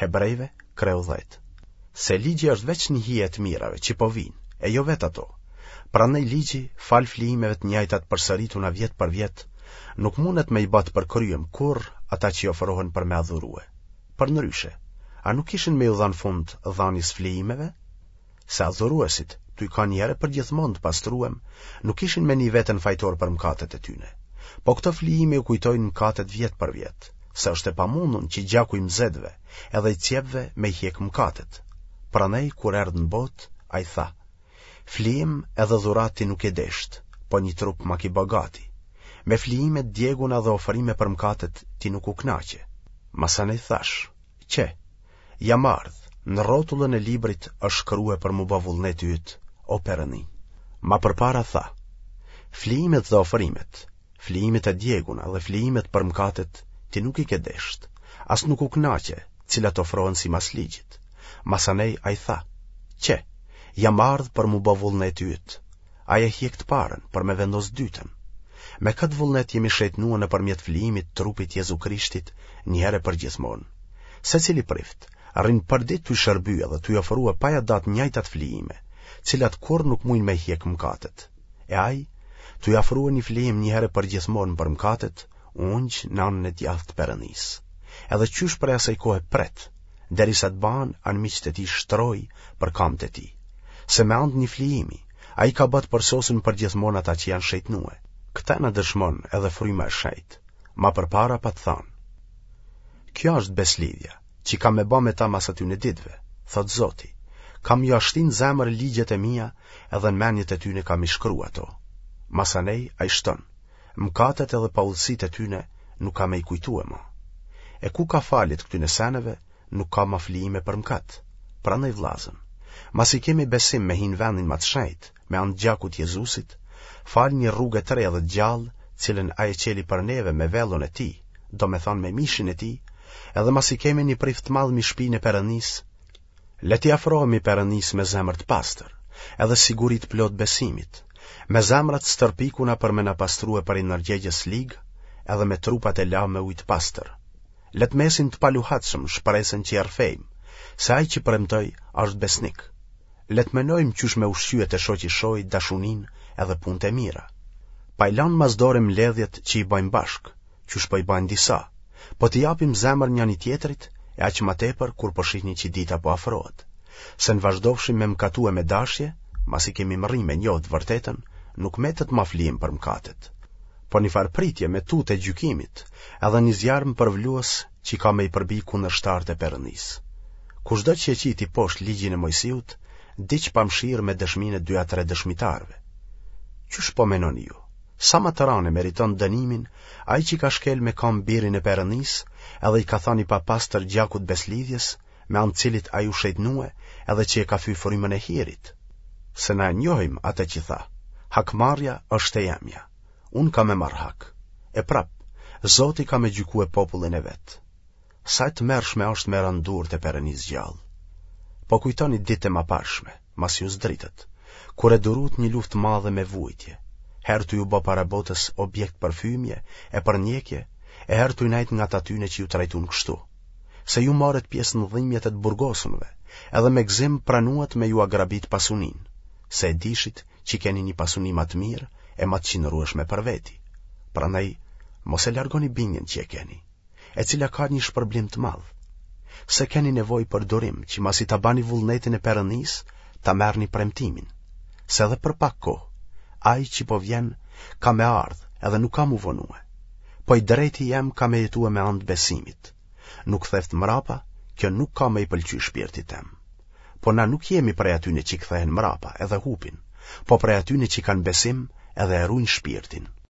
Hebrejve, kreu 10. Se ligji është veç një hije e të mirave që po vijnë, e jo vetë ato. Prandaj ligji, falë flijimeve të njëjta të përsërituna vjet për vjet, nuk mundet me i ba të përkryem kurrë ata që i ofrohen për me adhurue. Përndryshe, a nuk kishin me iu dhanë fund dhanies flijimeve? Se adhuruesit, tuj kanë një herë e përgjithmonë të pastruem, nuk kishin me ni veten fajtor për mëkatet e tyne. Po këto flijime u kujtojnë mëkatet vjet për vjet, se është e pamundun që gjaku i mëzetëve edhe i cjepve me i hjek mëkatet. Prandaj kur erdh në botë, ai tha: Flijim edhe dhuratë ti nuk ke desht, po një trup ma ke ba gati. Me flijime të djeguna dhe ofrime për mëkatet ti nuk u kënaqe. Masanej thashë, Qe, jam ardhë, në rrotullën e librit është shkrue për m'u ba vullneti yt, o Perëndi. Ma përpara tha, Flijimet dhe ofrimet, flijimet e djeguna dhe flijimet për mëkatet ti nuk i ke desht, as nuk u kënaqe, cilat ofrohen simas ligjit. Masanej ai tha, Qe, jam ardhë për m'u ba vullneti yt. Ai e hjek të parën, për me vendos dytën. Me këtë vullnet jemi shejtnue nëpërmjet flijimit të trupit Jezu Krishtit një herë e përgjithmonë. Secili prift, rrin përditë tuj shërbye dhe tuj ofrue pa ia da të njëjtat flijime, cilat kurrë nuk mujnë me i hjek mëkatet. E ai, tuj afrue një flijim një herë e përgjithmonë për mëkatet, u ungj në anën e djathtë të Perëndisë. Edhe qysh prej asaj kohe pret, derisa të bahen anmiqtë e tij shtrojë për kamët e tij. Se me anë të një flijimi, ai ka ba të përsosun përgjithmonë ata që janë shejtnue. Këtë na dëshmon edhe Fryma e Shenjtë, ma përpara pat thanë. Kjo është beslidhja, që kam me ba me ta mas atyne ditëve, thotë Zoti, kam jua shti në zemër ligjet e mia edhe në menjet e tyne kam i shkru ato. Masanej ai shton, mëkatet edhe paudhësitë e tyne nuk kam me i kujtue ma. E ku ka falje të këtyne seneve, nuk ka ma flijime për mëkat. Prandaj vllazën, masi kemi besim me hi në vendin ma të shenjtë, me anë të gjakut të Jezusit, falë një rruge të re dhe të gjallë, cilën ai e çeli për neve me vellon e tij, domethënë me mishin e tij, edhe masi kemi një prift të madh mi shpinë e Perëndisë, le t'i afrohemi Perëndisë me zemër të pastër, edhe siguri të plotë besimit, me zemra të stërpikuna për me na pastrue prej ndërgjegjes ligë, edhe me trupat e la me ujë të pastër. Le të mesim të paluhatshëm shpresën që e rrëfejmë, se ai që premtoi është besnik. Le të menojmë qysh me ushqye te shoqi shohit dashuninë edhe punët e mira. Pa i lanë mas dore mbledhjet që i bajmë bashkë, qysh po i bajnë disa, po t'i japim zemër njani-tjetrit e aq ma tepër kur po shihni që dita po afrohet. Se në vazhdofshim me mëkatue me dashje, masi kemi mrri me njohë të vërtetën, nuk metet ma flijim për mëkatet. Po një farë pritje me tutë e gjykimit, edhe një zjarm përvlues që ka me i përbi kundërshtarët e Perëndisë. Kushdo që e qiti poshtë ligjin e Moisiut, vdiq pa mëshirë me dëshminë e dy a tre dëshmitarëve. Qysh po menoni ju? Sa ma të ranë e meriton dënimin ai që ka shkel me kamë birin e Perëndisë, edhe i ka thanë i papastër gjakut beslidhjes, me anë të cilit ai u shejtnue edhe që e ka fy frymën e hirit. Se na e njohim atë që tha, hakmarrja është e jemja, unë kam me marrë hak. E prapë, Zoti ka me gjykue popullin e vet. Sa e tmerrshme është me ra në duart e Perëndisë gjallë. Po kujtoni ditët e maparshme, masi u zdritët, kur e duruat një luftë të madhe me vuajtje, herë tuj u bë para botës objekt për fymje e përndjekje, e herë tuj nejt ngat atyne që ju trajtun kështu. Se ju morët pjesë në dhimbjet e të burgosunve, edhe me gëzim pranuat me jua grabit pasuninë, se e dishit që keni një pasuni ma të mirë e ma të qëndrueshme për veti. Prandaj, mos e largoni bindjen që e keni. e cila ka një shpërblim të madh. Se keni nevojë për durim që masi ta bani vullnetin e Perëndisë, ta merrni premtimin. Se edhe për pak kohë, ai që po vjen ka me ardhë edhe nuk ka m'u vonue. Po i drejti jem ka me jetue me anë të besimit. N'u ktheftë mrapa, kjo nuk ka me i pëlqy shpirtit tem. Po na nuk jemi prej atyne që kthehen mrapa edhe hupin, po prej atyne që kanë besim edhe e rujnë shpirtin.